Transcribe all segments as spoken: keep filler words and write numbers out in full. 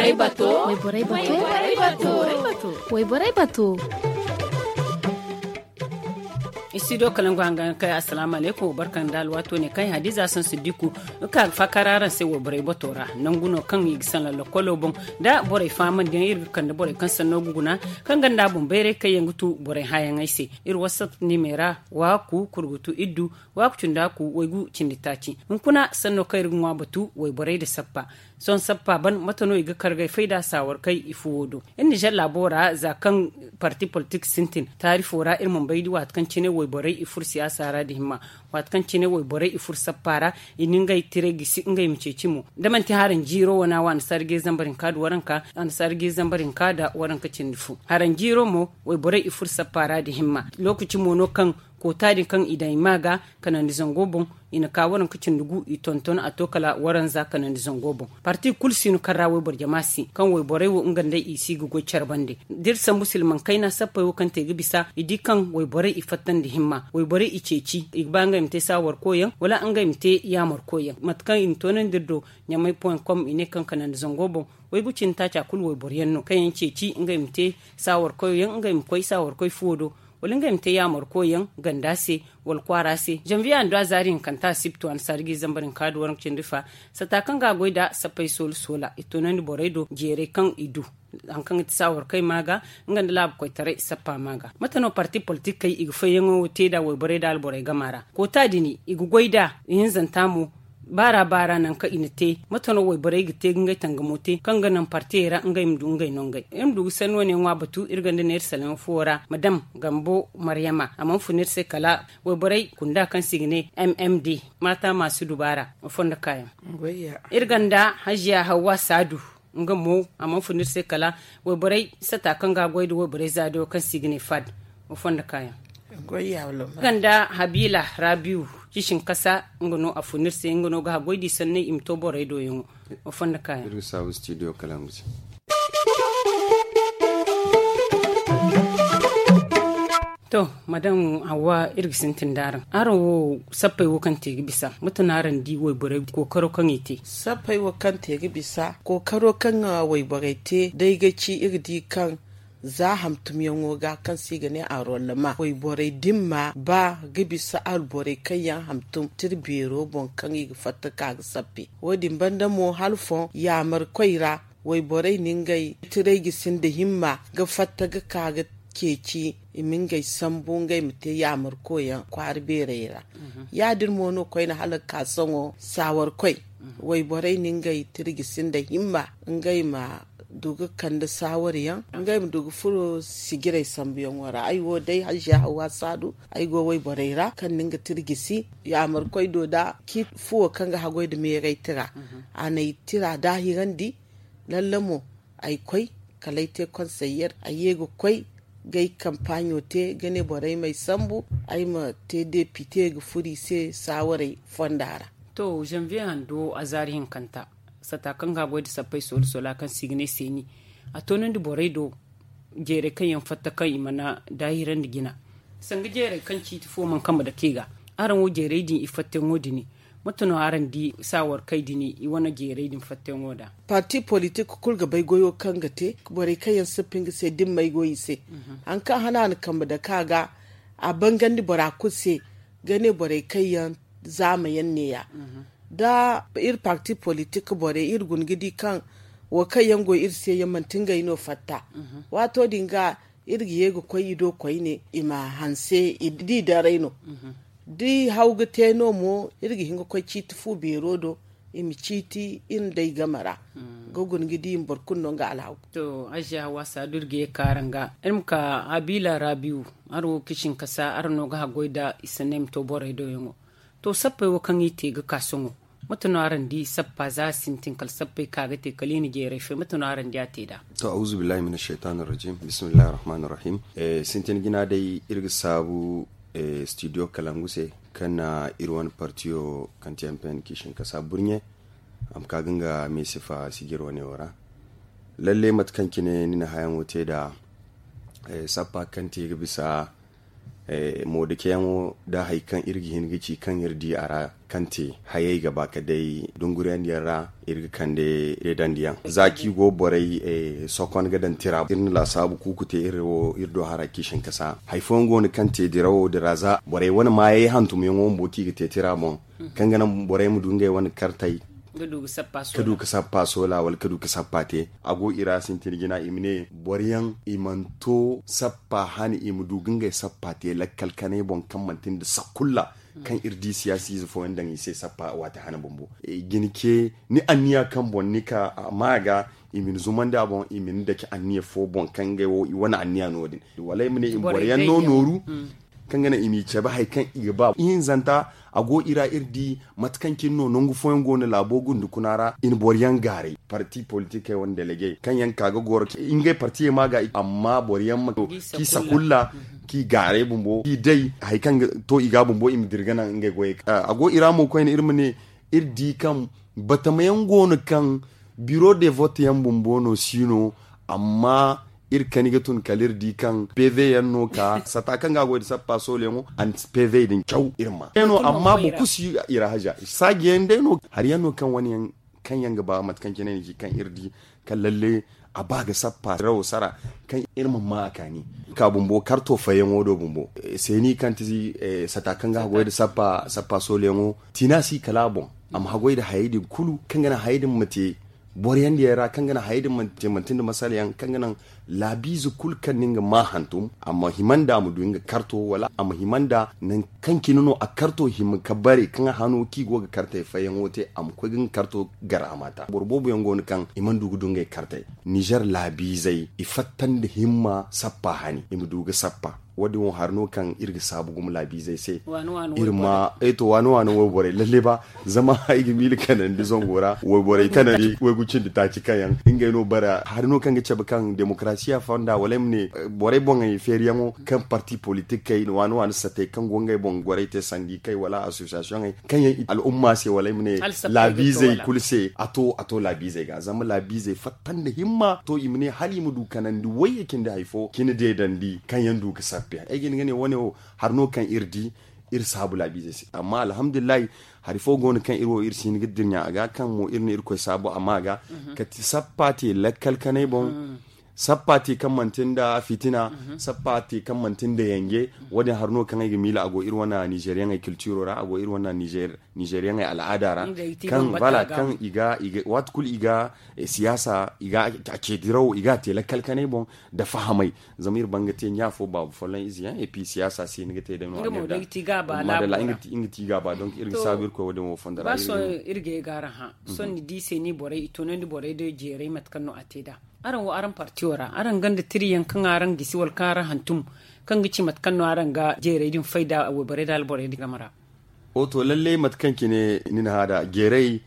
Wayborey bato. Wayborey bato. Wayborey bato. Studio kalangu hangan kay, assalamu alaikum, barkan da alwato ne kan hadiza san siddiku. Ka fakara ran sai wayborey bato ra nangu no kan i ga san lallakolo boŋ da borey faman din iri ga kande borey kan sanno ga guna kan ganda boŋ bayray kaŋ yaŋ ga tu borey hayaŋey se. Iri whatsapp nimera waaku kurgutu iddu waaku cunda ku waygu cindi taaci. Hunkuna sanno kaŋ iri ga ŋwa batu wayborey da sappa. Sohõ sappa ban mate no i ga kargay fayda saawar kay i fuwo do. Iri nizer laabo ra za kaŋ parti politik sintin taarifo ra iri mana bay di waati kaŋ cine wayborey i furo siyaasa ra da himma. Waati kaŋ cine wayborey i furo sappa ra i na ngey tiray gisi ngey ma ceeci mo da manti haranjiiro wana wa annasaara ga zambar hinka da waranka annasaara ga zambar hinka da waranka cindi fo haranjiiro mo. Wayborey i furo sappa ra da himma. Lookaci mo no kaŋ koota din kaŋ i daŋ i ma ga kanandi zango boŋ. I na ka waranka cindi gu i tonton a to kala waranza kanandi zango boŋ. Parti kulu si no kaŋ ra wayboro jama si kaŋ wayborey wo nga nd'ey i si ga goy care bande. Da iri sambu silmaŋ kayna sappey wo kaŋ te ga bisa i di kaŋ wayborey i fattandi himma wayborey i ceeci i ga ba ngey ma te saawar koyyaŋ wala ngey ma te yaamar koyyaŋ mate kaŋ i na toonandi iri do. Ɲamay point com i ne kaŋ kanandi zango boŋ waygu cindi taaca kulu wayboro yaŋ no kaŋ yaŋ ceeci ngey ma te saawar koyyaŋ ngey ma koy saawar koy fuwo do wala ngey ma te yaamar koyyaŋ ganda se wala kwaara se. Zanviye handu a zaari hinkanta a si ga to annasaara ga i zambar hinka da waranka cindi fa. Sata kaŋ ga a goy nd'a sappey soola soola i toonandi borey do jeeray kaŋ i du. Hari kaŋ ga ti saawar kay ma ga nga nda laabu koytaray sappa ma ga mate no parti politikey i ga fayyaŋo te nd'a wayborey nda alborey gama ra. Koota din i ga goy nd'a ihinzanta mo. Baara baara nangu kaŋ i na te mate no wayborey ga te ga ngey tangamo te kaŋ ga naŋ partiyey ra ngey ma du ngey nongey iri ma du ga sanni wane ŋwa batu iri ganda neera salaŋ fuwo ra madam gambo maryama a mana fun iri se kala wayborey kunda kaŋ se i ga ne m m d maata maasu dubaara. Fondo kaayaŋ iri ganda hajiya hawwa saadu nga mo a mana fun iri se kala wayborey sata kaŋ ga a goy nda wayborey zaadiyo kaŋ se i ga ne fad. Fondo kaayaŋ ganda habila rabiu cisin kasa nga no a fun iri se nga no ga haggoy di sanney i ma to borey do yaŋo. Fondo kaayaŋ iri ga saabu studio kala nga se. To madam hawa iri ga sintin da araŋ araŋ wo sappey wo kaŋ te ga bisa mate no araŋ di wayborey kookaro kaŋ i te? Sappey wo kaŋ te ga bisa kookaro kaŋ wayborey te day ga ci iri ga di kaŋ za hantumyaŋo ga kaŋ se i ga ne arwallama wayborey dimma ba ga bisa alborey kaŋ yaŋ hantum tira beero boŋ kaŋ i ga fatta ka ga sappe. Wo- din banda mo hala foŋ yaamarkoy ra wayborey na ngey tiray ga sinda himma ga fatta ga ka ga ceeci i ma ngey sambu ngey ma te yaamarkoyaŋ kwaara beerey ra. Ya- din mo no koyne hala ga ka sohõ saawarkoy wayborey na ngey tira ga sinda himma ngey ma du ga kande saawar yaŋ ngey ma du ga furo sijirey sambuyaŋo ra ay wo day hajiya hawa saadu ay go wayborey ra kaŋ na nga tira gisi yaamarkoy do da ciiti fuwo kaŋ ga haggoy nda meeray tira. A n'ay tira daahirandi lalle mo ay koy kala ay te konseyer ay ye ga koy ga ay kampaaɲo te ga ne borey m'ay sambu ay ma te depite ga furo i se saawarey fonda ra. To zanviye hando azaari hinkanta sata kaŋ ga a goy nda sappey soola soola kaŋ se i ga ne seeni a toonandi borey do jeeray kaŋ yaŋ fatta kaŋ i mana daahirandi jina sanga jeeray kaŋ ciiti fo mana kambe dake i ga. Araŋ wo jeeray din i fattayaŋo din mate no araŋ di saawarkey din i wane jeeray din fattayaŋo da? Parti politik kulu ga bay goyo kaŋ ga te borey kaŋ yaŋ sippi nga se dimmey go i se. Hari kaŋ hana a na kambe dake a ga a bangandi bora kulu se ga ne borey kaŋ yaŋ zaama yaŋ neeya da iri parti politik borey iri guna ga di kaŋ wo kaŋ yaŋ go iri se yaŋ manti ngey no fatta. Waato din ga iri ga ye ga koy i do koyne i ma hanse i di daray no da i haw ga te no mo iri ga hin ga koy ciiti fu beero do i ma ciiti iri nda ay game ra ga guna ga di i ma boro kulu no nga alhaw. To aziya hawa saadu iri ga ye ga ka araŋ ga iri ma ka habila rabiu araŋ wo ga kisin kasa araŋ no ga haggoy nda i sanney ma to borey do yaŋo. To sappey wo kaŋ i te ga ka sohõ mate no araŋ di sappa za sintin kala sappey ka ga te kala i na jeeray fay mate no araŋ di a te nd'a? To auzubillahi mina shaytan arrajim bismillahi arrahmani arrahim. Sintin jina day iri ga saabu studio kalangu se kaŋ na iri wane partiyo kaŋ ti mpn kiisin kasa burɲe a ma ka ga nga meesifa sijir wane wo ra. Lalle mate kaŋ cine ni na hayaŋo te nd'a sappa kaŋ te ga bisa Moodikeyaŋo da hari kaŋ iri ga hin ga ci kaŋ iri di a ra, kaŋ te hayey ga ba ka day dunguriyandiyaŋ ra, iri ga kande deedandiyaŋ za kaŋ i go borey sokon ga daŋ tira. Iri na laasaabu kuuku te iri wo iri do hara kaŋ i sinkasa hari fooyaŋ go no kaŋ te dirawo dira za borey wane maayey hantumyaŋo bumbo kaŋ i ga te tira boŋ, kaŋ ga naŋ borey ma du ngey wane kartey ka du ga sappa soola wala ka du ga sappa te. A go i ra sintin jina i ma ne boro yaŋ i mana to sappa hane i ma du ga ngey sappa te lakkal kanay boŋ kaŋ manti nda sakulla kaŋ iri di siyaasiize fooyaŋ daŋ i se sappa waati hane bumbo. Jina ce ni anniya kaŋ boŋ ni ka a ma ga i ma ni zumandi a boŋ i ma ni dake anniya fo boŋ kaŋ ngey wo i wane anniya no- din wala i ma ne i ma boro yaŋ no nooru kaŋ ga naŋ i m'i cabe hari kaŋ i ga ba ihinzanta. A go i ra iri di mate kaŋ cine no nangu fooyaŋ go no laabo gundukuna ra i na boro yaŋ gaaray parti politikey wane delegey kaŋ yaŋ ka ga goro ngey partiyey ma ga amma boro yaŋ ma k'i sakulla k'i gaaray bumbo k'i day hari kaŋ ga to i ga bumbo i ma dira ga naŋ ngey goyey. A go i ra mo koyne iri ma ne iri di kaŋ batama yaŋ go no kaŋ biro de vote yaŋ bumbo no si no. Amma iri kani ga tun kala iri di kaŋ pv yaŋ no ka sata kaŋ ga a goy da sappa sooliyaŋo and pv din caw iri ma no amma boro kulu si i ra haja saaji yaŋ day no hari yaŋ no kaŋ wane yaŋ kaŋ yaŋ ga ba mate kaŋ cine ni ci kaŋ iri di kaŋ lalle a ba ga sappa rawo sara kaŋ iri ma ma a kaani ka bumbo karto fayyaŋo do bumbo seeni kaŋ ti sata kaŋ ga a goy da sappa sappa sooliyaŋo tina si kala a boŋ a ma haggoy nda hayey din kulu kaŋ ga naŋ hayey din ma te boro yaŋ diyaŋ ra kaŋ ga naŋ hayey din ma te manti nda masala yaŋ kaŋ ga naŋ laabiize kulu kaŋ no nga ma hantum a ma hima nda a ma du nga karto wala a ma hima nda nangu kaŋ cine no a karto hima ka bare kaŋ a hano kaŋ i go ga kartey fayyaŋo te a ma koy ga nga karto gar a ma ta boro boobo yaŋ go no kaŋ i mana du ga du ngey kartey nizer laabiizey i fatta nda himma sappa hani i ma du ga sappa wo- din wo hari no kaŋ iri ga saabu gumo laabiizey se iri ma ay to waano waano wayborey lalle ba zama ay ga miila kanandi zango ra wayborey kanandi waygu cindi taaci kaŋ yaŋ ngey no bara hari no kaŋ ga cabe kaŋ demokarasiya fonda wala ay ma ne borey boŋey feeriyaŋo kaŋ parti politikey waano waano satey kaŋ go ngey boŋ gorey te sandi kay wala associationey kaŋ yaŋ al'umma se wala ay ma ne laabiizey kulu se a to a to laabiizey ga zama laabiizey fatta nda himma to i ma ne hala i ma du kanandi wayye cindi hari fo cine deedandi kaŋ yaŋ du ga sappe ay ga hin ga ne wane wo hari no kaŋ iri di iri saabu laabiizey se amma alhamdulillahi hari fo go no kaŋ iri wo iri si hin ga dirɲa a ga kaŋ mo iri na irkoy saabu a ma ga kati sappa te lakkal kanay boŋ sappa te kaŋ manti nda fitina sappa te kaŋ manti nda yanje wo- din hari no kaŋ ay ga miila a go iri wane nizeriyaŋey kiltiro ra a go iri wane nizeriyaŋey al'aada ra kaŋ voilà kaŋ i ga waati kulu i ga siyaasa i ga a ce dirawo i ga a te lakkal kanay boŋ nda fahamay zama iri ban ga te ɲa fo baabu folloŋ ize yaŋ et puis siyaasa si ni ga te day no madalla nga ti ga ba donc iri ga saabu iri koy wo- din wo fondo ra iri ga ay ga araŋ hã sohõ ni di se ni borey i toonandi borey day jeeray mate kaŋ no a te nd'a araŋ wo araŋ partiyo ra araŋ gonda tiriyaŋ kaŋ araŋ gisi wala kaŋ araŋ hantum kaŋ ga ci mate kaŋ no araŋ ga jeeray din fayda wayborey nda alborey din game ra. O to lalle mate kaŋ cine ni na hã nd'a jeeray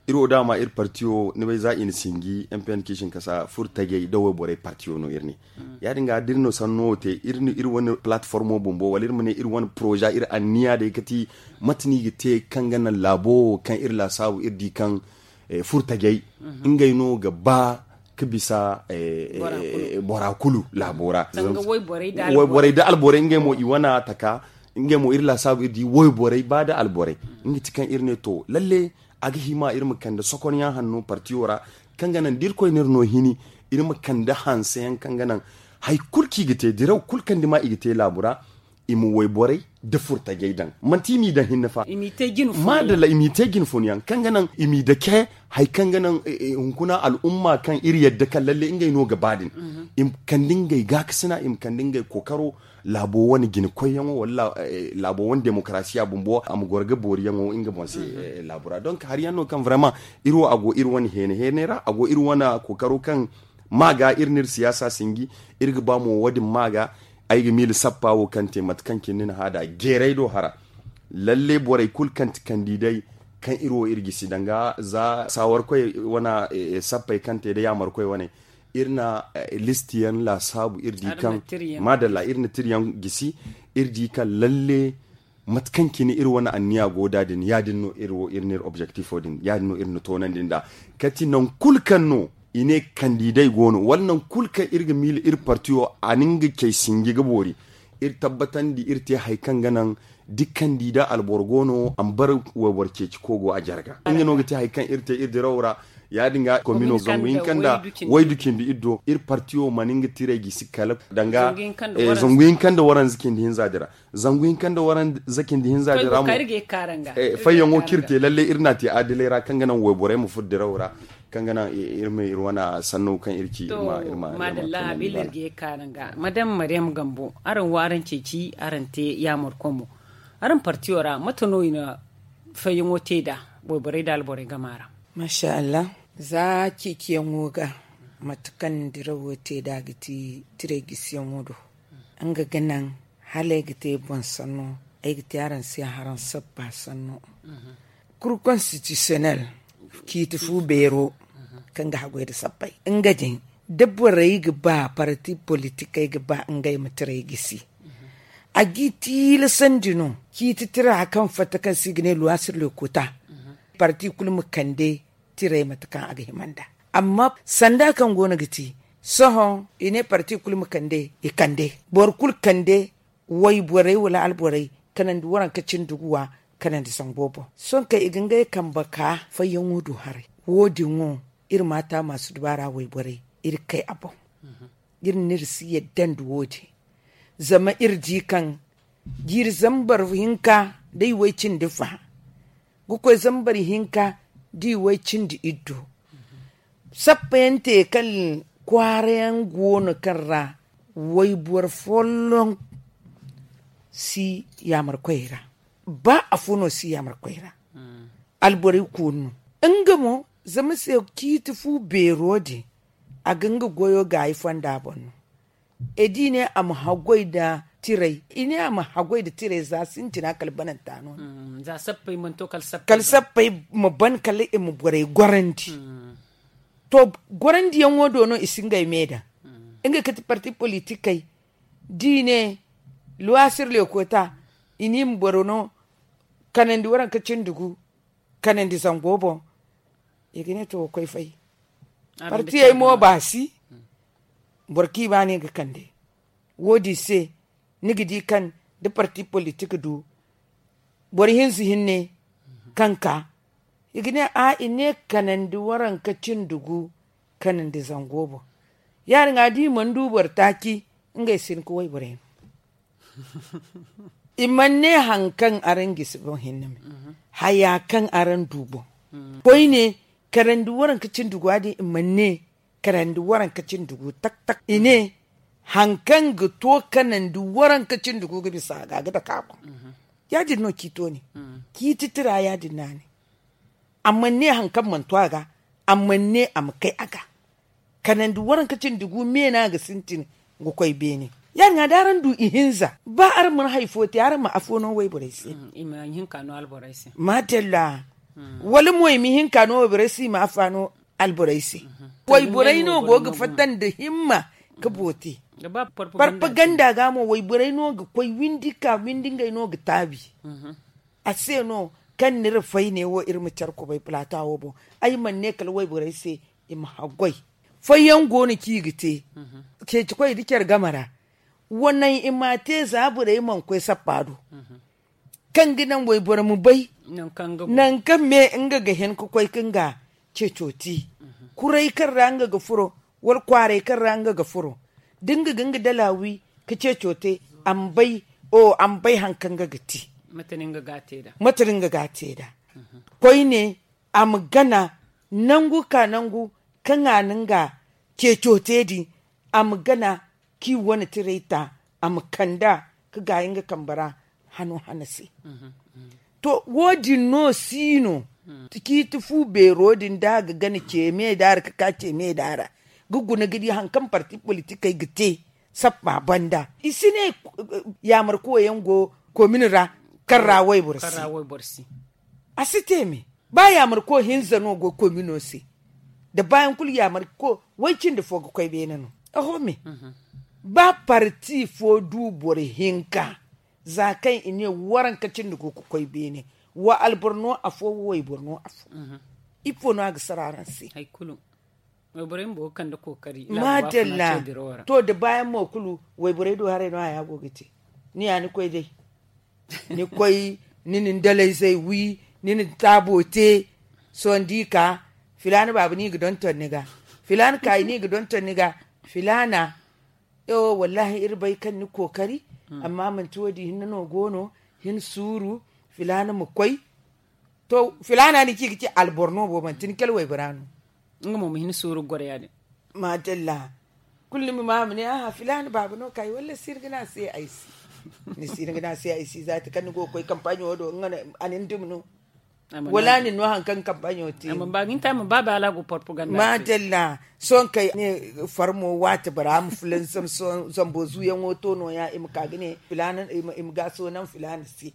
iri wo daama iri partiyo ni bay za i na sinji mpn kaŋ i sinkasa furo tajey nda wayborey partiyo no iri ne ya- din ga da iri na sanno wo te iri wane platformo bumbo wala iri ma ne iri wane poroza iri anniya day kati mate no i ga te kaŋ ga naŋ laabo wo kaŋ iri laasaabu iri di kaŋ furo tajey ngey no ga ba ka bisa bora kulu laabo ra wayborey nda alborey ngey mo i wane taka ngey mo iri laasaabu iri di wayborey ba nda alborey nga ti kaŋ iri ne to lalle a ga hima iri ma kande sokonyaŋ hanno partiyo ra kaŋ ga naŋ da irkoy no iri no hini iri ma kande hanseyaŋ kaŋ ga naŋ hari kulu kaŋ i ga te diraw kulu kaŋ dima i ga te laabu ra i ma wayborey nda furtajey daŋ manti i m'i daŋ hinne fa madalla i m'i te jine funyaŋ kaŋ ga naŋ i m'i dake hari kaŋ ga naŋ hunkuna al'umma kaŋ iri yadda kaŋ lalle ngey no ga ba din i ma kande ngey gaakasina i ma kande ngey kookaro laabo wane jina koyyaŋo wala laabo wane demokarasiya bumbo a ma goro ga booriyaŋo nga boŋ se laabu ra donc hari yaŋ no kaŋ vraiment iri wo a go iri wane heene heene ra a go iri wane kookaro kaŋ ma ga iri n'iri siyaasa sinji iri ga ba mo wo- din ma ga ay ga miila sappa wo kaŋ te mate kaŋ cine ni na hã nd'a jeeray do hara lalle borey kulu kaŋ ti kandidey kaŋ iri wo iri gisi danga za saawarkoy wane sappey kaŋ te nda yaamarkoy wane iri na listiyaŋ laasaabu iri di kaŋ madalla iri na tiriyaŋ gisi iri di kaŋ lalle mate kaŋ cine iri wane anniya go nd'a din ya- din no iri wo iri n'iri objektifo din ya- din no iri na toonandi nd'a kati nangu kulu kaŋ no i ne kandidey go no wala nangu kulu kaŋ iri ga miila iri partiyo a na nga cay sinji ga boori Iri tabbatandi iri te hari kaŋ ga naŋ dikkandi da alboro go no a ma bara wayboro ceeci kogo a jarga nga no ga te hari kaŋ iri te iri dirawo ra. Ya- din ga komino zangu hinka nda waydu cindi iri do iri parti wo mana nga tiray gisi kala danga zangu hinka nda waranza cindi hinza dira. Zangu hinka nda waranza cindi hinza dira mo fayyaŋo kaŋ iri te lalle iri na a te adilay ra kaŋ ga naŋ wayborey ma furo dirawo ra kaŋ ga naŋ iri ma iri wane sanno kaŋ iri ci iri ma iri ma. Madalla habila iri ga ye kaara nga madam mariyam gambo araŋ wo araŋ ceeci araŋ te yaamar komo araŋ partiyo ra mate no i na fayyaŋo te nd'a wayborey nda alborey gama ra? Masha allah. Za ceeciyaŋo ga mate kaŋ dirawo te nd'a ga ti tiray gisiyaŋo do nga ga naŋ hala ay ga te boŋ sanno ay ga te araŋ se haraŋ sabba sanno. Kur konstitisiyonel ciiti fu beero kaŋ ga haggoy nda sabbay nga din da borey ga ba parti politikey ga ba ngey ma tiray gisi a g'i tiilasandi no ciiti tira kaŋ fatta kaŋ se i ga ne luwasir lokuta parti kulu ma kande tiray mate kaŋ a ga hima nd'a. Amma sanda kaŋ go no ga ti sohõ i ne parti kulu ma kande i kande boro kulu kande wayborey wala alborey kanandi waranka cindi guwa kanandi zango boŋ. Sohõ kaŋ i ga ngey kambe ka fayyaŋo du haray wo- din wo iri ma a taamaasu dubaara wayborey iri kay a boŋ. Iri na iri si yadda nda wo- din zama iri di kaŋ jiiri zambar hinka da i way cindi fa ga koy zambar hinka da i way cindi iddu. Sappayaŋ te kaŋ kwaara yaŋ go no kaŋ ra wayboro folloŋ si yaamar koyey ra. Ba afo no si yaamar koyey ra alborey koonu no nga mo zama se ciiti fu beero din a ga nga goyo gaayi fonda boŋ no. E da i ne a ma haggoy nda tiray i ne a ma haggoy nda tiray za sintina kala bananta no. Kala sappey ma ban kala i ma borey gorandi. To gorandiyaŋo do no i si ngey me daŋ nga kate parti politikey da i ne luwasir lekota i ne i ma boro no kanandi waranka cindi gu kanandi zango boŋ. I ga ne to ga koy fay partiyey mo baasi boro kaŋ i ba no i ga kande. Wo- din se ni ga di kaŋ da parti politik du boro hinza hinne kaŋ ka i ga ne a i ne kanandi waranka cindi gu kanandi zango boŋ. Ya- din ga da i mana du boro taaci ngey si hin ga wayborey no. I mana ne hari kaŋ araŋ gisi boŋ hinne me haya kaŋ araŋ du boŋ koyne kanandi waranka cindi gu a din i mana ne kanandi waranka cindi gu tak tak i ne hari kaŋ ga to kanandi waranka cindi gu ga bisa a ga ga dake a boŋ. Ya- din no ciito ne ciiti tira ya- din no a ne. A mana ne hari kaŋ mana to a ga a mana ne a ma kay a ga. Kanandi waranka cindi gu me no a ga sintin ga koy beene. Ya- din ga da araŋ du ihinza ba araŋ mana hari fo te araŋ ma afo no wayborey se. Madalla. Wala mo i ma hinka no wayborey se i ma afa no alborey se. Wayborey no go ga fatta nda himma ga boote. Farpaganda ga mo wayborey no ga koy windi ka windi ngey no ga taabi. A se no kaŋ ni ra fay ne wo iri ma care kubay plata wo boŋ. Ay mana ne kala wayborey se i ma haggoy. Fayyaŋ go no kaŋ i ga te ceeci koy da care game ra. Wa naŋ i m'a te za borey mana koy sappa do kaŋ ga naŋ wayboro ma bay nangu kaŋ me nga ga hin ga koy ga nga ceeco te. Kuray kaŋ ra nga ga furo wala kwaaray kaŋ ra nga ga furo da nga ga nga dala wi ga ceeco te a ma bay hari kaŋ nga ga te. Mate no nga ga a te nd'a koyne a ma gana nangu ka nangu kaŋ a na nga ceeco te din a ma gana kaŋ i wane tiray ta a ma kand'a ka gaayi nga kambe ra hano hana se. To wo- din no si no ciiti fu beero din da a ga gana ce me da ra ga ka ce me da ra ga guna ga di hari kaŋ parti politikey ga te sappa banda i si ne yaamarko yaŋ go komin ra kaŋ ra wayboro si. A si te me ba yaamarko hinza no go komino se. Da bayaŋ kulu yaamarko way cindi fo ga koy beene no. Oho me ba parti fo du boro hinka za kaŋ i ne waranka cindi go ga koy beene wa alboro no afo wa wayboro no afo. Ifo no a ga sara araŋ se? Madalla. To da bayaŋ mo kulu wayborey do haray no haya go ga te. ni ya ni koy day. Ni koy, ni na ni dalayzey wi, ni na ni taabo te. Sohõ da i ka, filaana baaba no i ga donton ni ga. Filaana kaayi no i ga donton ni ga. Filaana. Ewo wallaahi iri bay kaŋ ni kookari. Amma manti wo- din hinne no go no. Hin suuru. Filaana ma koy. To, filaana ni ci ga ci alboro no bo manti ni kala waybora no. Nga mo ma hin suuru ga goro ya- din. Maadalla. Kulu ni ma ma a ma ne aha filaana baaba no kaayi walla si ni ga ne a se ay si. Ni si ni ga ne a se ay si zaati kaŋ ni go ga koy kampaɲo do nga no a na ni dumi no. Wala a na ni no hari kaŋ kampaɲo te. Amma ba ga ni te a ma ba baala go porpoganda. Maadalla. Sohõ kay ne farmo waati bora ma fulan zambo zuuyaŋo to no- ya i ma ka ga ne filaana i ma gaaso naŋ filaana se.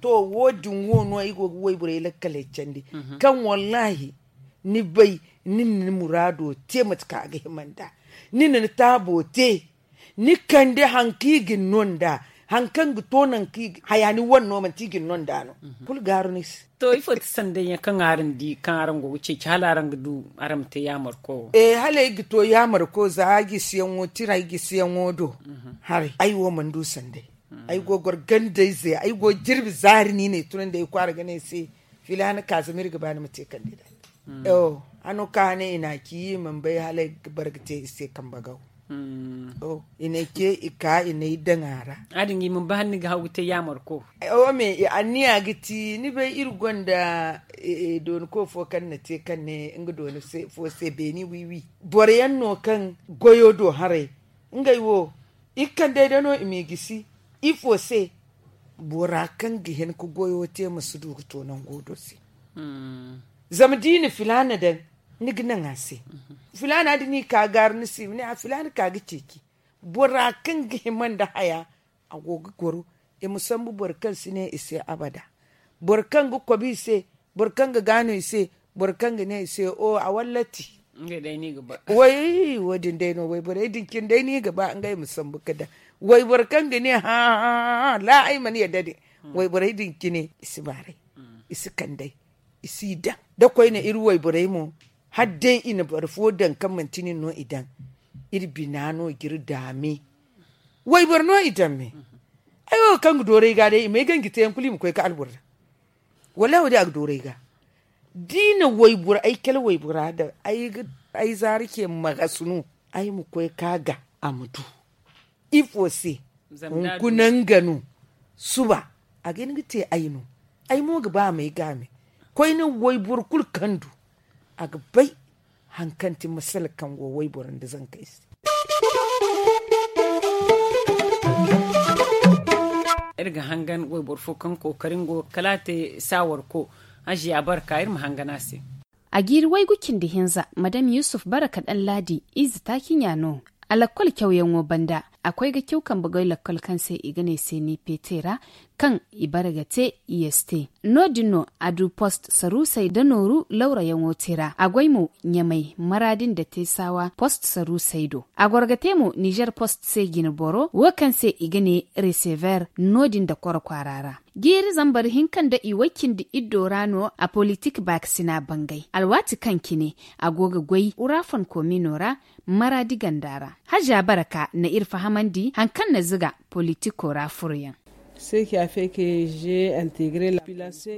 To wo- din wo no ay go ga wayborey lakkaley candi. Kaŋ wallaahi ni bay ni na ni muraado te mate kaŋ a ga hima nd'a. Ni na ni taabo te. Ni kande hari kaŋ i ga ni no nd'a. Hari kaŋ ga to nangu kaŋ i ga haya ni wane no manti i ga ni no nd'a no. Kulu gaaru ni se. To ifo ti sanday yaŋ kaŋ araŋ di kaŋ araŋ go ga ceeci hala araŋ ga du araŋ ma te yaamar ko wo? Hala ay ga to yaamar ko za ay gisiyaŋo tira ay gisiyaŋo do. Haray ay wo mana du sanday. Ay go ga goro gandayze ay go ga jirbi zaari no i na ay tunandi ay kwaara ga ne ay se. Filaana ka zama iri ga ba ni ma te kandida. Hano ka hane i na a ci i mana bay hala ay ga bara ga te i se kambe gaw. I na ay ce i ka i na ay daŋ a ra. A din ga i mana bay hala ni ga haw ga te yaamar ko? Wo me anniya ga ti ni bay iri gonda dooni ko fo kaŋ na te kaŋ ne nga dooni fo se beeni wiiwi. Boro yaŋ no kaŋ goyo do haray ngey wo i ga kande day no i m'i gisi. Ifo se? Bora kaŋ ga hin ga goyo te ma si du ga to nango do se. Zama da i na filaana daŋ ni ga naŋ a se. Filaana da ni ka gaaru ni se i ma ne a filaana ka ga ceeci. Bora kaŋ ga hima nda haya a go ga goro. I ma sambu boro kaŋ si ne i se abada. Boro kaŋ ga kobi i se. Boro kaŋ ga gaano i se. Boro kaŋ ga ne i se o a wallati. Way wo- din day no wayborey din cine day no i ga ba ngey ma sambu ga daŋ. Wayboro kaŋ ga ne hã hã hã la ay mana yadda din. Wayborey din cine i si baaray. I si kand'ay. I si daŋ da koyne iri wayborey mo. Hala day i na boro fo daŋ kaŋ manti nin no i daŋ. Iri bina no ga iri daame. Wayboro no i daŋ me. Ay wo kaŋ ga dooru ay ga day i ma ay ganji teeyaŋ kulu i ma koy ga alboro daŋ. Wallaahi wo- din a ga dooru ay ga. Da i na wayboro ay kala waybora daŋ ay zaari ce magas no. Ay ma koy ga a ga a ma du. Ifo se? Hunkuna nga no. Suba a ga hin ga te ay no. Ay mo ga ba a m'ay gaame. Koyne wayboro kulu kaŋ du a ga bay. Hari kaŋ ti masala kaŋ go wayboro nda zankey se. Iri ga hangan wayboro fo kaŋ kookari nga wo kala a te saawar ko. Haziya barka iri ma hangan a se. A jiiri waygu cindi hinza madam yusuf baraka daŋ laadi ize taaci ɲa no. A lakkol cawyaŋo banda a koy ga caw kambe goy lakkol kaŋ se i ga ne se ni pete ra. Kaŋ i bare ga te i yeste no- din no a du post saruusey nda nooru lawrayaŋo te ra a goy mo ɲamay maraadi nda teesawa post saruusey do. A goro ga te mo nizer post se jineboro wo kaŋ se i ga ne resever no- din nda koro kwaara ra. Jiiri zambar hinka nda i way cindi iddo ra no a politik baakasina bangay alwaati kaŋ cine a go ga goy urafon koomino ra. Maraadi ganda ra haza baraka na iri fahamandi hari kaŋ na ziga politiko ra furoyaŋ.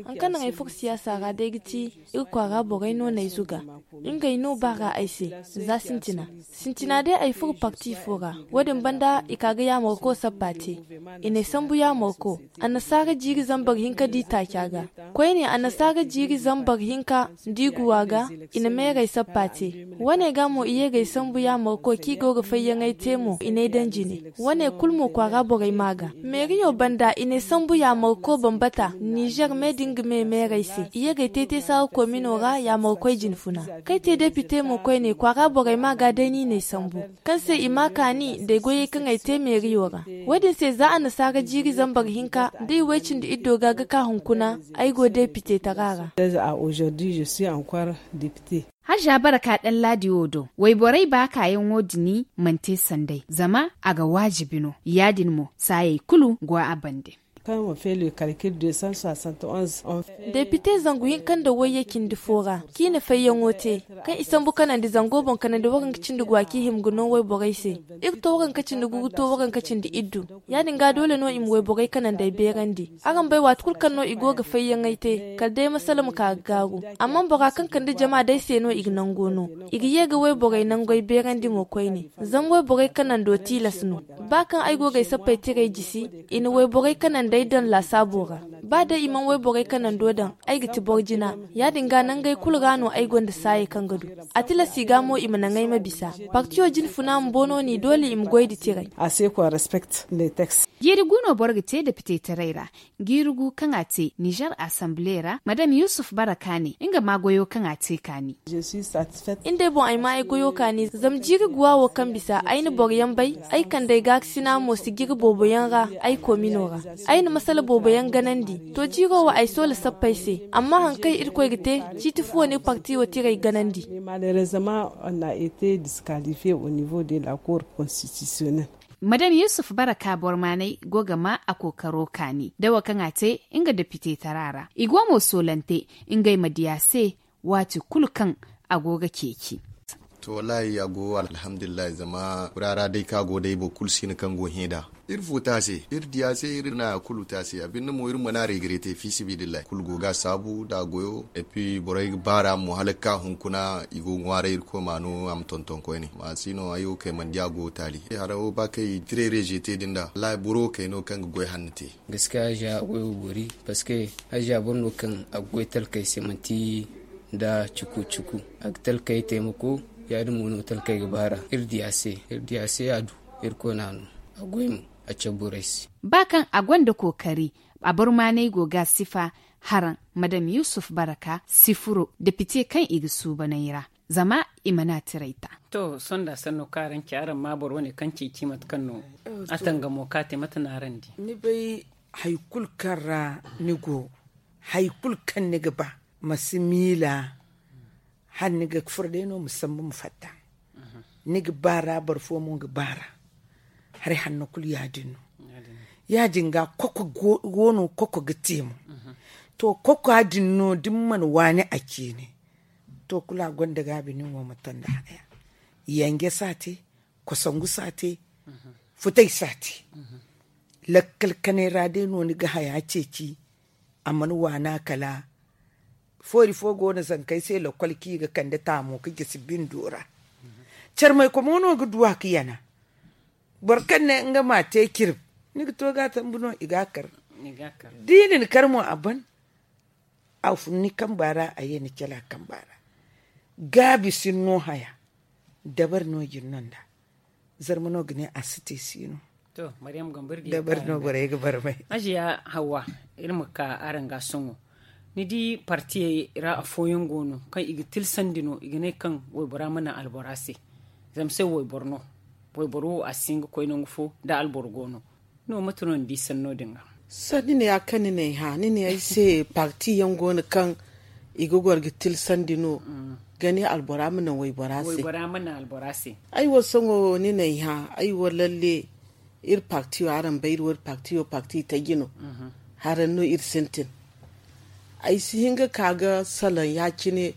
Hari kaŋ naŋ ay furo siyaasa ra day ga ti iri kwaara borey no n'ay zuga. Ngey no baar'a ay se za sintina. Sintina day ay furo parti fo ra. Wo- din banda i ka ga yaamarko sappa te. I n'ay sambu yaamarko. Annasaara jiiri zambar hinka d'i taaca ga. Koyne annasaara jiiri zambar hinka d'i guwa ga. I na meerey sappa te. Wane ga mo i ye g'ay sambu yaamarko kaŋ i go ga fayyaŋey te mo i n'ay daŋ jine. Wane kulu mo kwaara borey maa ga meeriyo banda i n'ay sambu yaamarko bambata nizer me din ga me meerey se i ye g'ay te te saara koomino ra yaamarkoy jinfuna. Kaŋ ay te depite mo koyne kwaara borey maa ga day no i n'ay sambu. Kaŋ se i ma kaani nd'ay goyey kaŋ ay te meeriyo ra. Wo- din se za annasaara jiiri zambar hinka da i way-cindi-iddo ga ga ka hunkuna ay go depite tara ra. Haza baraka daŋ laadi wo do wayborey baakaayaŋo dini mana te sanday zama a ga waajibi no ya- din mo saayey kulu go a bande. Depite zangu hinka nda wayye cindi fo ra, kaŋ i sambu kanandi zango boŋ kanandi waranka cindi go a kaŋ i hima ga no wayborey se. Iri to waranka cindi gu ga to waranka cindi iddu. Ya- din ga doole no i ma wayborey kanandey beerandi. Araŋ bay waati kulu kaŋ no i go ga fayyaŋey te, kala day masala ma ka ga gaaru. Amma bora kaŋ kande jama day se no i ga nango no. I ga ye ga wayborey nangey beerandi mo koyne. Zama wayborey kanando tilas no. Ba kaŋ ay go ga ay sappey tirey jisi, i na wayborey kanandey daŋ laasaabo ra. Ba day i mana wayborey kanando daŋ, ay ga ti boro jina. Ya- din ga nangey kulu ra no ay gonda saayey kaŋ ga du. A tilas i ga mo i ma naŋ ay ma bisa. Partiyo jine funa ma boono ni doole i ma goy nda tirey. Jiiri gu no boro ga te depitetaray ra. Jiiri gu kaŋ a te nizer asamble ra madam yusuf baraka ne nga ma goyo kaŋ a te kaani. Ni day boŋ ay ma ay goyo kaani zama jiiri guwa wo kaŋ bisa ay na boro yaŋ bay. Ay kand'ey gaakasina mo si jiri boobo yaŋ ra. Ay koomino ra ay na masala boobo yaŋ ganandi. To jiiro wo ay soola sappey se. Amma hari kaŋ irkoy ga te ciiti fuwo no iri parti wo tirey ganandi. Malerezama on na ete diskalifiye au nivo de la kor konstitisiyonel. Madam yusuf baraka bormaaney go ga ma a kookaro kaani da wo kaŋ a te nga depite tara ra i go mo soolante ngey ma diya se. Waati kulu kaŋ a go ga ceeci. To wallaahi a go alhamdulillahi zama fura ra day kaŋ a go day boro kulu si no kaŋ go hẽ nd'a. Iri fu te a se iri di a se iri na kulu te a se a binde mo iri mana regrete fi sabilillahi kulu go ga a saabu nda a goyo. Epi borey ga baara mo hala ga ka hunkuna i go ga ŋwaaray irkoy ma no a ma tonton koyne ma si no ay wo kay mana di a go taali hara wo ba kay tire reje te din da wallaahi boro wo kay no kaŋ ga goy hanno te. Gaskiya hajiya a goy wo boori parceque hajiya boro no kaŋ a ga goy talkey se manti nda cuku cuku. A ga talkey taimako ya- din mo no talkey ga baara iri di a se iri di a se a du. Iri koy no a no a goy mo a cabe borey se. Ba kaŋ a gonda kookari a barmaaney go ga a sifa. Haraŋ madam yusuf baraka si furo depite kaŋ i ga suubaney ra zama i mana tirey ta. To sohõ nda sanno kaŋ araŋ ci araŋ ma boro wane kaŋ ceeci mate kaŋ no a tangamo ka te mate no araŋ di? Ni bay hari kulu kaŋ ra ni go hari kulu kaŋ ni ga ba ma si miila. Hala ni ga furo day no ma sambu ma fatta. Ni ga baara boro fo mo ga baara. Hari hanno kulu ya- din no ya- din ga koko go no koko ga te mo. To koko ya- din no da ni mana waani a ciine. To kulu a gonda gaabi nin wo ma to nda haya. Yanje si a te, kosongu si a te, futay si a te. Lakkal kanay ra day no ni ga haya ceeci. A mana waana kala foori fo go no zankey se lakkol kaŋ i ga kande taamo ga gisi bindo ra. Carmaykomo no ga duwa ga yana. Boro kaŋ ne nga ma te cirib ni ga to ga a sambu no i ga a kar. Da i na ni kar mo a ban. A fun ni kamba ra a ye ni cala kamba ra. Gaabi sinno haya. Dabari no jin no nda. Zarma no ga ne a si te si no. Dabari no borey ga barmay. Hajiya hawwa, iri ma ka araŋ ga sohõ. Ni di partiyey ra afooyaŋ go no kaŋ i ga tilsandi no i ga ne kaŋ waybora ma naŋ albora se. Zama se wayboro no. Wayboro wo a si hin ga koy nangu fo da alboro go no. No mate no ni di sanno din ga? Sanni ne ya kaŋ ni n'ay hã ni ne ay se parti yaŋ go no kaŋ i ga goro ga tilsandi no. Ga ne albora ma naŋ waybora se. Ay wo sohõ ni n'ay hã ay wo lalle. Iri parti wo araŋ bay iri wo iri parti wo parti taji no. Haraŋ no iri sintin. Ay si hin ga ka ga salaŋ ya-cine.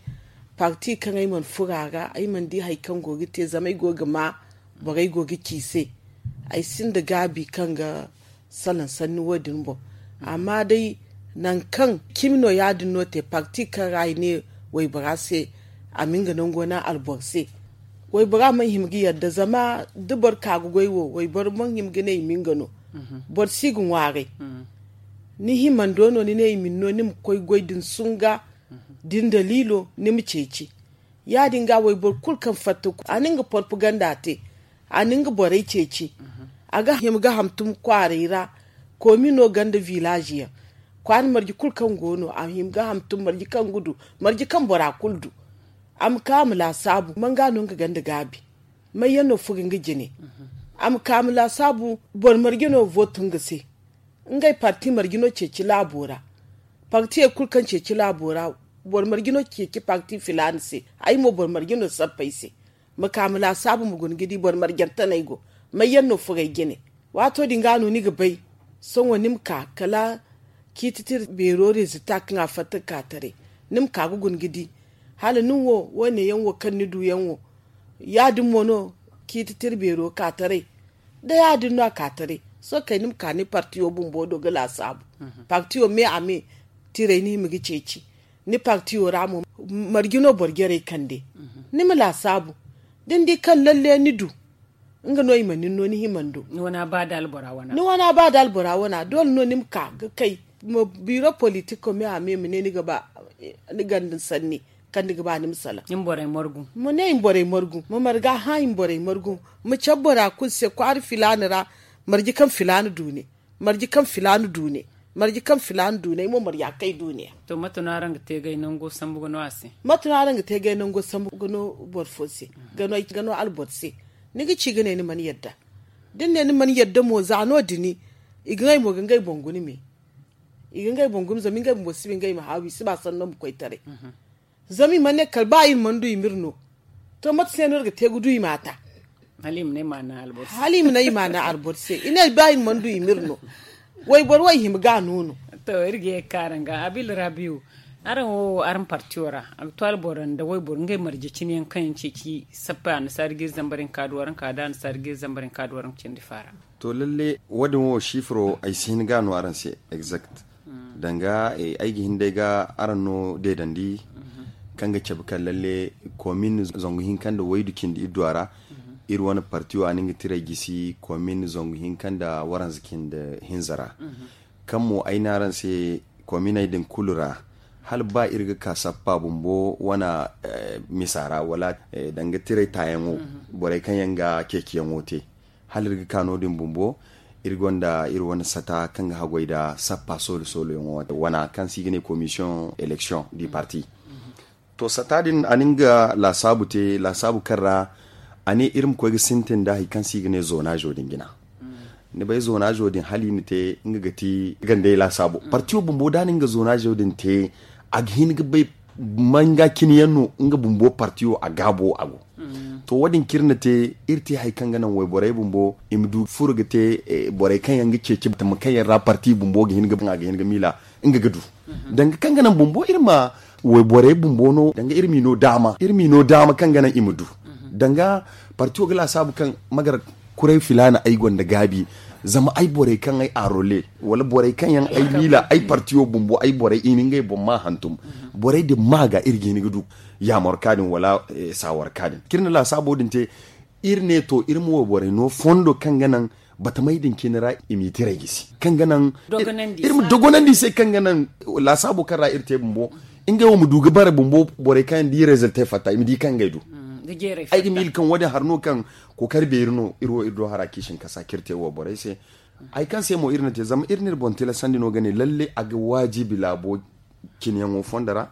Parti kaŋ ay mana furo a ra ay mana di hari kaŋ go ga te zama ay go ga ma borey go ga ci se. Ay sinda gaabi kaŋ ga salaŋ sanni wo- din boŋ. Amma day nangu kaŋ cimi no ya- din no te parti kaŋ ra i ne waybora se a ma nga nango naŋ alboro se. Waybora mana hima ga yadda zama da boro ka ga goy wo wayboro mana hima ga ne i ma nga no. Boro si ga ŋwaaray. Ni himando no ni ne i ma ni no ni ma koy goy da ni sunga da ni daliilo ni ma ceeci. Ya- din ga wayboro kulu kaŋ fatta a na nga propaganda te. A na nga borey ceeci. A ga hima ga hantum kwaaray ra. Koomino ganda vilaazi yaŋ kwaara marje kulu kaŋ go no a hima ga hantum marje kaŋ ga du marje kaŋ bora kulu du. A ma ka a ma laasaabu manga no nga ganda gaabi? May yaŋ no furo nga jine? A ma ka a ma laasaabu boro marje no vootu nga se? Ngey parti marje no ceeci laabo ra? Partiyey kulu kaŋ ceeci laabo ra boro marje no ceeci parti filaana se? Ay mo boro marje no sappa ay se? Ma ka ma laasaabu ma guna ga di boro marjantaney go? May yaŋ no furo ay jine? Waato din ga no ni ga bay Sohõ ni ma ka kala ciiti tira beero rezilta kaŋ a fatta ga ka taray, ni ma ka ga guna ga di hala nin wo wo- ne yaŋ wo kaŋ ni du yaŋ wo. Ya- din mo no ciiti tira beero ga ka taray. Da ya- din no a ka taray, sohõ kay ni ma ka ni partiyo bumbo do ga laasaabu. Partiyo me a me tiray ni hima ga ceeci. Ni partiyo ra mo marje no boro jarey kande. Ni ma laasaabu da ni di kaŋ lalle ni du nga no i ma nin no ni hima ni do. Ni wana ba da albora wana doole no ni ma ka ga kay. Ma biro politiko me a me ma ne ni ga ba ni ganda ni sanni kaŋ ni ga ba ni ma salaŋ. Ma ne i ma borey margu ma marga hã i ma borey margu. Ma cabe bora kulu se kwaara filaana ra marje kaŋ filaana du ne. Marje kaŋ filaana du ne. Marje kaŋ filaana du ne ay mo marja kaŋ ay du ne. To mate no araŋ ga te ga ay nango sambu ga no a se? Mate no araŋ ga te ga ay nango sambu ga no boro fo se ga no alboro se? Ni ga ci ga ne ni mana yadda. Da ni ne ni mana yadda mo za no- din i ga ŋway mo ga ngey boŋ guna me. I ga ngey boŋ guna zama ngey bumbo si ba ngey ma haawi si ba sanno ma koy taray. Zama i mana ne kala ba iri mana du i ma iri no. To mate se no iri ga te ga du i ma a ta? Hala i ma ne i ma a naŋ alboro se i ne ba iri mana du i ma iri no. Wayboro wo i hima ga a no no. To iri ga ye ga ka araŋ ga abil rabiyo. Araŋ wo araŋ partiyo ra aktuwal boro nda wayboro ngey marje cine yaŋ kaŋ yaŋ ceeci sappa annasaari ga iri zambar hinka du waraŋ ka da annasaari ga iri zambar hinka du waraŋ cindi faara. To lalle wo- din wo sifiro ay si hin ga no araŋ se exact. Danga ay ga hin day ga araŋ no deedandi kaŋ ga cabe kaŋ lalle komin zangu hinka nda waydu cindi iri du a ra. Iri wane partiyo a na nga tiray gisi komin zangu hinka nda waranza cindi hinza ra. Kaŋ mo ay ne araŋ se kominey din kulu ra hala ba iri ga ka sappa bumbo wane misa ra wala danga tiray taayaŋo borey kaŋ yaŋ ga ceeciyaŋo te. Hala iri ga ka no- din bumbo iri gonda iri wane sata kaŋ ga haggoy nda sappa soolo soolo yaŋo wana kaŋ se i ga ne commission élection du parti. To sata din a na nga laasaabu te laasaabu kaŋ ra a ne iri ma koy ga sintin nda hari kaŋ se i ga ne zonazo din jina. Ni bay zonazo din hala i na te nga ga ti gandey laasaabo partiyo bumbo da a na nga zonazo din te a ga hin ga bay manga cine yaŋ no nga bumbo partiyo a gaabo a go. To wo- din kaŋ iri na te iri te hari kaŋ ga naŋ wayborey bumbo i ma du furo ga te borey kaŋ yaŋ ga ceeci batama kaŋ yaŋ ra parti bumbo ga hin ga miila nga ga du. Danga kaŋ ga naŋ bumbo iri ma wayborey bumbo no danga iri m'i no daama iri m'i no daama kaŋ ga naŋ i ma du. Danga partiyo ga laasaabu kaŋ magar kuray filaana ay gonda gaabi zama ay borey kaŋ ay arole wala borey kaŋ yaŋ ay miila ay partiyo bumbo ay borey i na ngey boŋ ma hantum. Borey din ma ga iri ga hin ga du yaamarka din wala saawarka din kaŋ iri na laasaabo din te. Iri ne to iri ma wayborey no fondo kaŋ ga naŋ batamey din cine ra i m'i tiray gisi kaŋ ga naŋ iri ma dogonandi i se kaŋ ga naŋ laasaabo kaŋ ra iri te bumbo ngey wo ma du ga bare bumbo borey kaŋ yaŋ da i reziltey fatta i ma di kaŋ ngey du. Ay ga miila kaŋ wo- din hari no kaŋ kookari beeri no iri wo iri do hara kaŋ i si hin kasa kaŋ iri te wo borey se. Hari kaŋ se mo iri na te zama iri na iri boŋ tilasandi no ga ne lalle a ga waajibi laabo cine yaŋo fondo ra.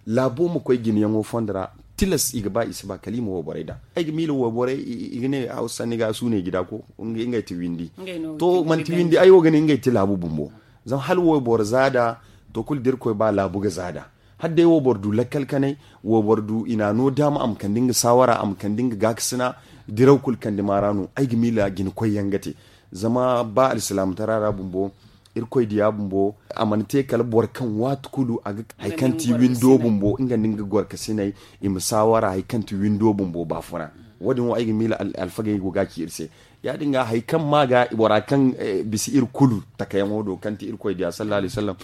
Laabo ma koy jine yaŋo fondo ra tilas i ga ba i si ba kala i ma wo borey da. Ay ga miila wo borey i ga ne hawsa sanni ga a suunay gida ko ngey ti windi. To manti windi ay wo ga ne ngey ti laabu bumbo. Zama hala wo boro zaada to kulu da irkoy ba laabu ga zaada. Hala day wo boro du lakkal kanay wo boro du i na a no daama a ma kande nga saawara a ma kande nga gaakasina. Diraw kulu kande maara no ay ga miila jine koy yaŋ ga te. Zama ba alsilaamataray ra bumbo irkoy diya bumbo a mana te kala boro kaŋ waati kulu a ga hari kaŋ ti windo bumbo nga nda nga gorkasiney i ma saawara hari kaŋ ti windo bumbo baafuna. Wo- din wo ay ga miila alfagey go ga ci iri se. Ya- din ga hari kaŋ ma ga bora kaŋ bisa iri kulu takayaŋo do kaŋ ti irkoy diya sallallahu alaihi wasallam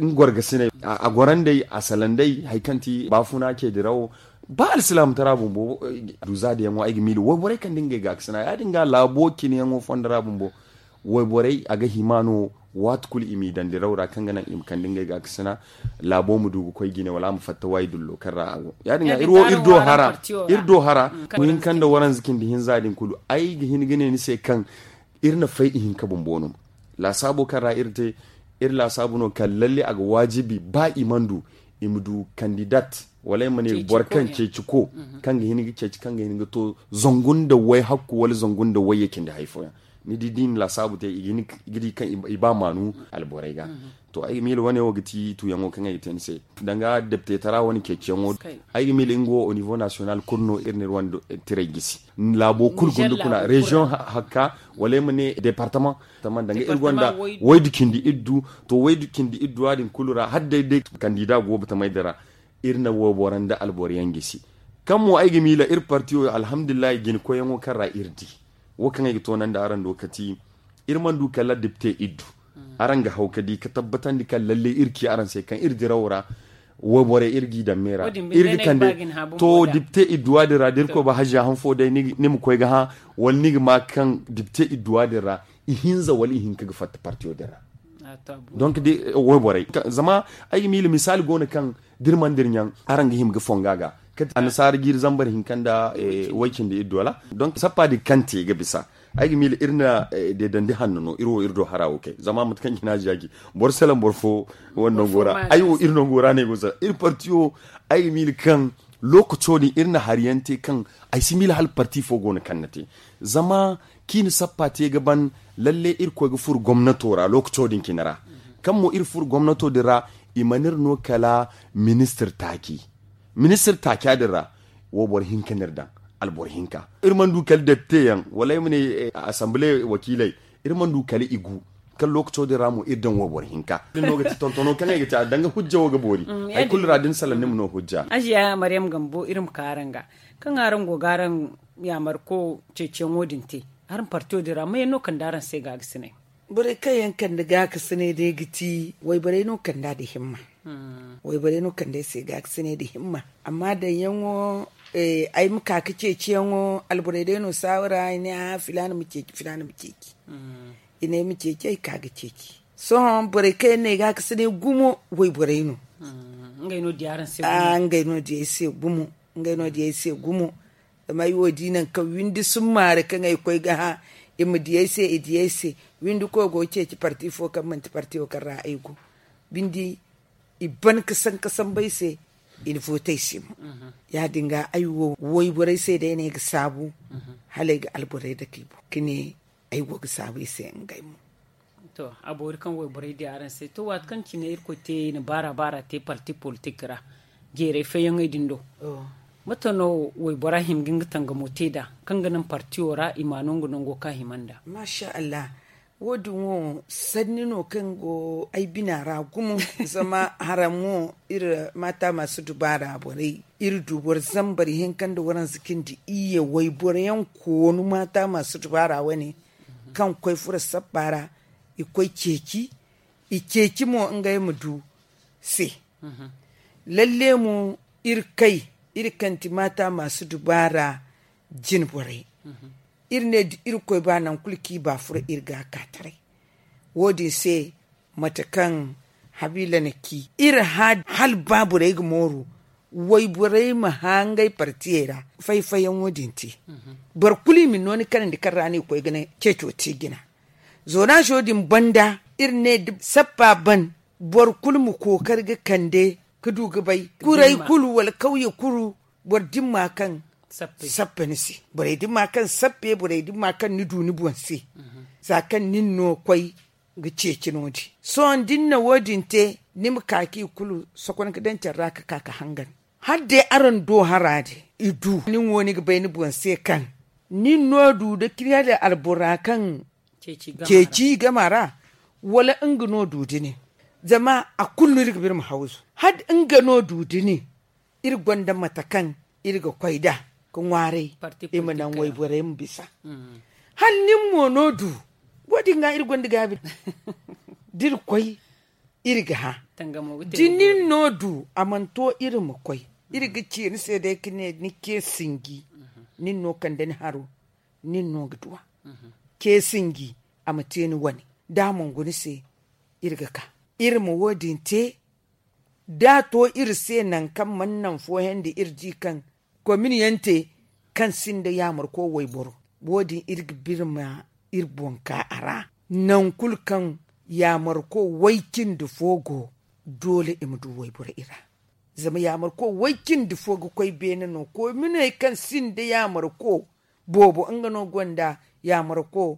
nga gorgasiney a gorandey a salandey hari kaŋ ti baafuna ce dirawo. Ba alsilaamataray bumbo du zaadayaŋo ay ga miila wayborey kaŋ da ngey gaakasina ya- din ga laabo cine yaŋo fondo ra bumbo. Wayborey a ga hima no waati kulu i m'i daŋ diraw ra kaŋ ga naŋ i ma kande ngey gaakasina. Laabo ma du ga koy jine wala a ma fatta waayi dullo kaŋ ra a go ya- din ga iri wo iri do hara iri do hara. Muhim kaŋ nda waranza cindi hinza din kulu ay ga hin ga ne ni se kaŋ iri na fay ihinka bumbo no. Laasaabo kaŋ ra iri te iri laasaabu no kaŋ lalle a ga waajibi ba i mana du i ma du kandidat wala i ma ne boro kaŋ ceeci ko kaŋ ga hin ga ceeci kaŋ ga hin ga to zangu nda way hakku wala zangu nda wayye cindi hari fooyaŋ. Ni di da i na laasaabu te i ga di kaŋ i ba maanu alborey ga. To ay ga miila wane wo ga ti tuuyaŋo kaŋ ay ga te ni se, danga deptetara wane ceeciyaŋo. Ay ga miila nga wo au niveau national kulu no iri na iri wane tiray gisi. Laabo kulu gunda kuna reziyoŋ hakka wala ay ma ne departama. Danga iri gonda waydu cindi iddu. To waydu cindi iddu a din kulu ra hala day day kandida go batamay din ra. Iri na wayboro nda alboro yaŋ gisi. Kaŋ mo ay ga miila iri partiyo alhamdulillahi jina koyyaŋo kaŋ ra iri di wo kaŋ ay ga toonandi araŋ do kati. Iri mana du kala depte iddu. Araŋ ga haw ka di ka tabbatandi kaŋ lalle iri ci araŋ se kaŋ iri dirawo ra. Wayborey iri g'i daŋ me ra. Iri ga kande to depte idduwa din ra da iri koy ba haziya han fo day ni ma koy ga hã wala ni ga ma kaŋ depte idduwa din ra ihinza wala ihinka ga fatta partiyo din ra. Donc wayborey zama ay ga miila misaali go no kaŋ da iri mana da iri ɲaŋ araŋ ga hima ga fonga ga. Annasaara jiiri zambar hinka nda way cindi iddu wala donc sappa din kaŋ te ga bisa. Ay ga miila iri na deedandi hanno no iri wo iri do hara wo kay zama mate kaŋ jina ziyaji boro salaŋ boro fo. Wane nango ra ay wo iri nango ra no ay go sara iri partiyo. Ay ga miila kaŋ lookaco din iri na hari yaŋ te kaŋ ay si miila hala parti fo go no kaŋ na te. Zama kaŋ i na sappa te ga ban lalle iri koy ga furo gomnato ra lookaco din cine ra. Kaŋ mo iri furo gomnato din ra i mana iri no kala ministir taaci. Ministir taaca din ra wayboro hinka no iri daŋ. Alboro hinka iri mana du kala depite yaŋ wala ay ma ne asambile wakiiley. Iri mana du kala i gu kala lookaco din ra mo iri daŋ wayboro hinka. Din no ga ti tontono kaŋ ay ga te a danga hujja wo ga boori. Hari kulu ra da ni salaŋ ni ma no hujja. Aziya maryam gambo iri ma ka araŋ ga kaŋ araŋ go ga araŋ yaamarko ceeciyaŋo din te. Araŋ partiyo din ra mayaŋ no kande araŋ se gaagasinay? Borey kaŋ yaŋ kande gaakasinay day ga ti wayborey no kande a da himma. Wayborey no kande ay se gaakasinay da himma. Amma daŋyaŋo ay ma ka ga ceeciyaŋo alborey day no saawara i ne a filaana ma ceeci filaana ma ceeci. I ne ay ma ceeci ay ka ga ceeci. Sohõ borey kaŋ yaŋ no ay gaakasinay gumo wayborey no. Ngey no di ay se gumo. Ngey no di ay se gumo. Zama ay wo di nangu kaŋ windi summaari kaŋ ay koy ga hã i ma di ay se i di ay se. Windi koy go ga ceeci parti fo kaŋ manti partiyo kaŋ ra ay go. Binde i ban ga sanka samba ay se. I na vootey se mo. Ya- din ga ay wo wayborey se day no ay ga saabu hala ay ga alborey dake i boŋ ga ne ay go ga saabu i se ngey mo. To a boori kaŋ wayborey di araŋ se to waati kaŋ cine irkoy te i na baara baara te parti politik ra jeeray fayyaŋey din do. Mate no waybora hima ga nga tangamo te nd'a kaŋ ga naŋ partiyo ra i ma no nga nango kaŋ a hima nd'a? Maasa allah. Wo- din wo sanni no kaŋ go ay bina ra gumo. Zama haram wo iri maata maasu dubaara borey iri du boro zambar hinka nda waranza cindi iyye wayboro yaŋ koonu maata maasu dubaara wane kaŋ koy furo sabba ra i koy ceeci i ceeci mo ngey ma du se. Lalle mo iri kay iri kaŋ ti maata maasu dubaara jine borey iri ne da irkoy ba nangu kulu kaŋ i ba furo iri ga a ka taray. Wo- din se mate kaŋ habiila na ci iri hã hala ba borey ga mooru wayborey ma hã ngey partiyey ra fay-fayyaŋo din te. Boro kulu i ma ni no ni kanandi kaŋ ra no i koy ga ne ceeco te jina. Zonazo din banda iri ne da sappa ban boro kulu ma kookari ga kande ga du ga bay kuray kulu wala kawye kulu boro dimma kaŋ sappe ni se borey dimma kaŋ sappe borey dimma kaŋ ni du ni boŋ se. Za kaŋ nin no koy ga ceeci no- din sohõ da ni na wo- din te ni ma ka kaŋ i kulu sokon ga daŋ care ra ga ka ga hangan. Hala day araŋ do hara din i du nin wo ni ga bay ni boŋ se kaŋ nin no du da kiri hala albora kaŋ ceeci i game a ra wala nga no du da nin? Zama a kulu no iri ga ba iri ma hawzu hala nga no du da nin iri gonda mate kaŋ iri ga koy nd'a ga ŋwaaray i ma naŋ wayborey ma bisa. Hala nin mo no du wo- din ga iri gonda gaabi da iri koy iri ga hã da nin no du a mana to iri ma koy iri ga ci ni se day ga ne ni ce sinji nin no kande ni haro nin no ga duw'a ce sinji a ma te ni wane da a mana guna se iri ga ka iri ma wo- din te da a to iri se nangu kaŋ mana naŋ fooyaŋ da iri di kaŋ komin yaŋ te kaŋ sinda yaamarko wayboro wo- din iri ga ba iri ma iri boŋ ka a ra. Nangu kulu kaŋ yaamarko way cindi fo go doole i ma du wayboro i ra. Zama yaamarko way cindi fo ga koy beene no kominey kaŋ sinda yaamarko boobo nga no gonda yaamarko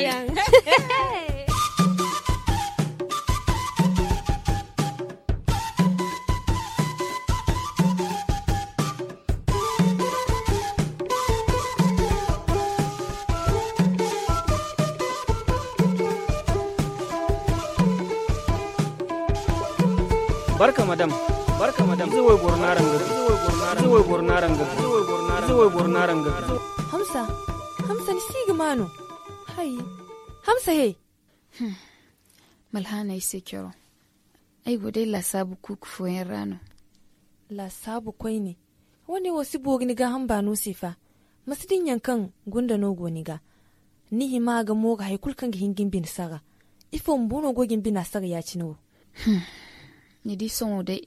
yaŋ. Barka madam. Barka madam. Ize wayboro no araŋ ga du. Ize wayboro no araŋ ga du. Ize wayboro no araŋ ga du. Hamsa. Hamsa, ni si ga maa no? Hay. Hamsa he. Malhaana ay se coro. Ay go day laasaabu kuuku fooyaŋ ra no. Laasaabu koyne. Wane wo si boori ni gaaham baano se fa. Ma si din yaŋ kaŋ gunda no go ni ga. Ni hima ga mooru hari kulu kaŋ ga hin ga ni bine sara. Ifo bumbo no go ga ni bina sara ya-cine wo? Ni di sohõ day,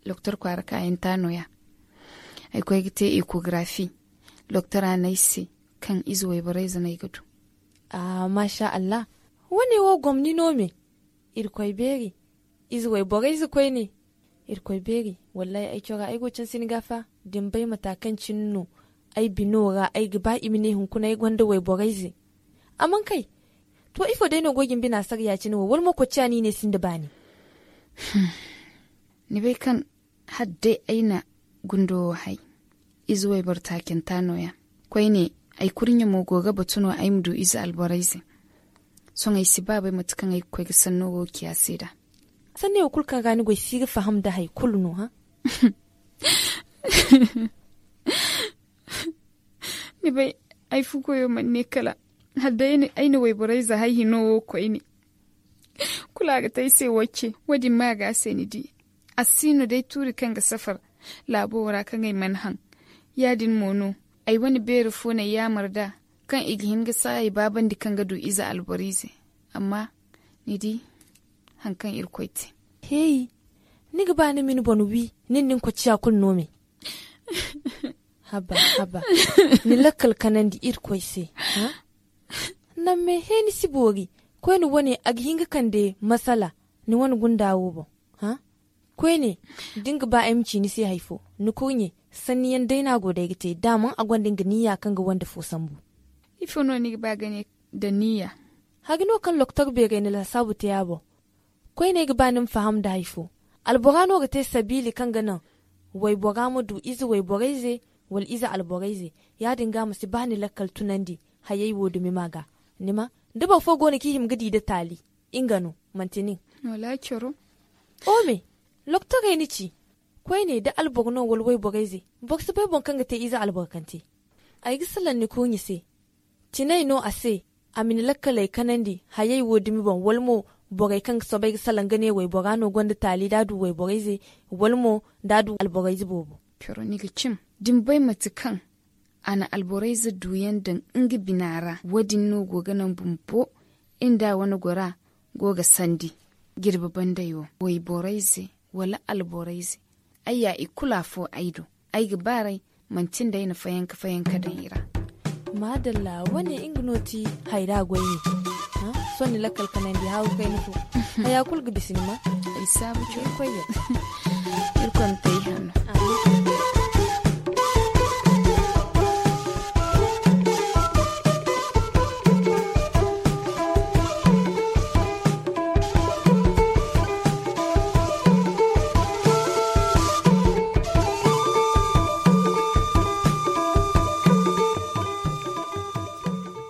doktor kwaara kaayanta no- ya. Ay koy ga te ekogarafi. Doktora ne ay se kaŋ ize wayborey ize no ay ga du. Maasa allah. Wane wo gomni no me? Irkoy beeri. Ize wayborey ize koyne. Irkoy beeri. Wallaahi ay cora ay go canse ni ga fa. Da ni bay mata kaŋ cine no ay bino ra ay ga ba i ma ne hunkuna ay gonda wayborey ize. A mana kay. To ifo day no go ga ni bina sara ya-cine wo wala mo kocciya no i ne sinda baani? Ni bay kaŋ hala day ay na gundo wo hay. Ize wayboro taacanta no- ya. Koyne, ay kurɲe mo go ga batu no ay ma du ize alborey ize. Sohõ ay si ba bay mate kaŋ ay ga koy ga sanno wo ciya se nd'a. Sanney wo kulu kaŋ ra ni go ay si ga faham nda hari kulu no hã? Ni bay, ay fu koyo mana ne kala hala day ay na wayborey ize hay hino wo koyne. Kulu a ga te ay se wacce. Wo- din ma a ga a se ni di. A si no day tuuri kaŋ ga safar laabo wo ra kaŋ ay mana haŋ. Ya- din mo no, ay wane beeri fo no ay yaamar nd'a kaŋ i ga hin ga saaya baabandi kaŋ ga du ize alboro ize. Amma ni di, haŋ kaŋ irkoy te. Heey. Ni ga ba ni ma ni boŋ wi? Nin da ni kocciya kulu no me? Haba, haba. Ni lakkal kanandi irkoy se. Naŋ me he ni si boori. Koyne wane a ga hin ga kande masala ni wane gunda wo boŋ. Koyne, da ni ga ba ay ma ci ni se hari fo, ni kurɲe, sanni yaŋ day no a go day ga te da a mana a gonda nga niyya kaŋ ga wande fo sambu. Ifo no ni ga ba ga ne? Da niyya. Hari no kaŋ loktor beerey na laasaabu te a boŋ. Koyne ay ga ba ni ma faham nda hari fo. Albora no ga te sabiili kaŋ ga naŋ waybora ma du ize wayborey ize, wala ize alborey ize. Ya- din ga a ma si ba ni lakkal tunandi hayey wo dumi ma ga. Ni ma, da boro fo go no kaŋ i hima ga di nda taali, nga no, manti nin. Wala coro. O me, loktorey ni ci. Koyne da alboro no wala wayborey ize, boro si bay boŋ kaŋ ga te ize alborokante. Ay ga salaŋ ni kurɲe se. Tinay no a se. A ma ni lakkaley kanandi hayey wo dumi boŋ, wala mo borey kaŋ ga soobay ga salaŋ ga ne waybora no gonda taali da a du wayborey ize, wala mo da a du alborey ize boobo. Coro ni ga cim. Da ni bay mate kaŋ a na alborey ize duyaŋ daŋ nga bina ra, wo- din no go ga naŋ bumbo nda a wane gora go ga sandi. Jirbi banday wo, wayborey ize wala alborey ize, ay ya i kulu afo ay do. Ay ga baaray, manti nda ay na fayanka fayanka daŋ i ra. Maadalla, wane nga no ti hayra goyne. Sohõ ni lakkal kanandi haawu kayna fo. Haya kulu ga bisa ni ma. Ay saabu coro. Irkoy yadda. Irkoy ma te ay hanno.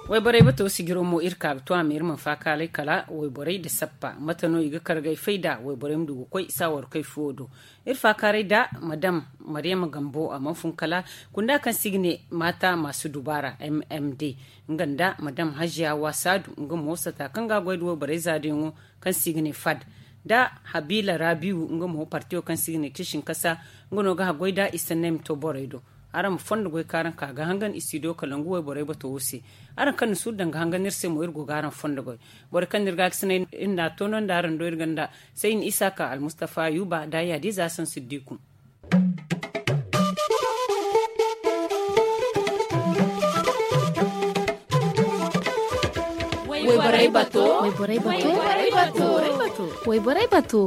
Wayborey bato sijiro mo iri ka ga to a ma iri mana faakaaray kala wayborey nda sappa mate no i ga kar ga ay fay nd'a wayborey ma du ga koy saawarkey fuwo do. Iri faakaaray nda madam mariyama gambo a mana fun kala kunda kaŋ se i ga ne maata maasu dubaara m m d, nga nda madam hajiya wasaadu nga mo sata kaŋ ga a goy nda wayborey zaadiyaŋo kaŋ se i ga ne fad, nda habiila raabiwu nga mo partiyo kaŋ se i ga ne tiisin kasa. Nga no ga haggoy nda i sanney ma to borey do. Araŋ ma fondo goy kaŋ araŋ ka ga hangan istidiyo kalangu wayborey bato wo se. Araŋ kaŋ na suuru daŋ ga hangan iri se mo iri go ga araŋ fondo goy. Borey kaŋ na iri ga ga sinay iri na a toonandi araŋ do iri ganda sayni isaaka almustafa yuuba nda yaadiiza hasan siddiku. Wayborey bato. Wayborey bato. Wayborey bato.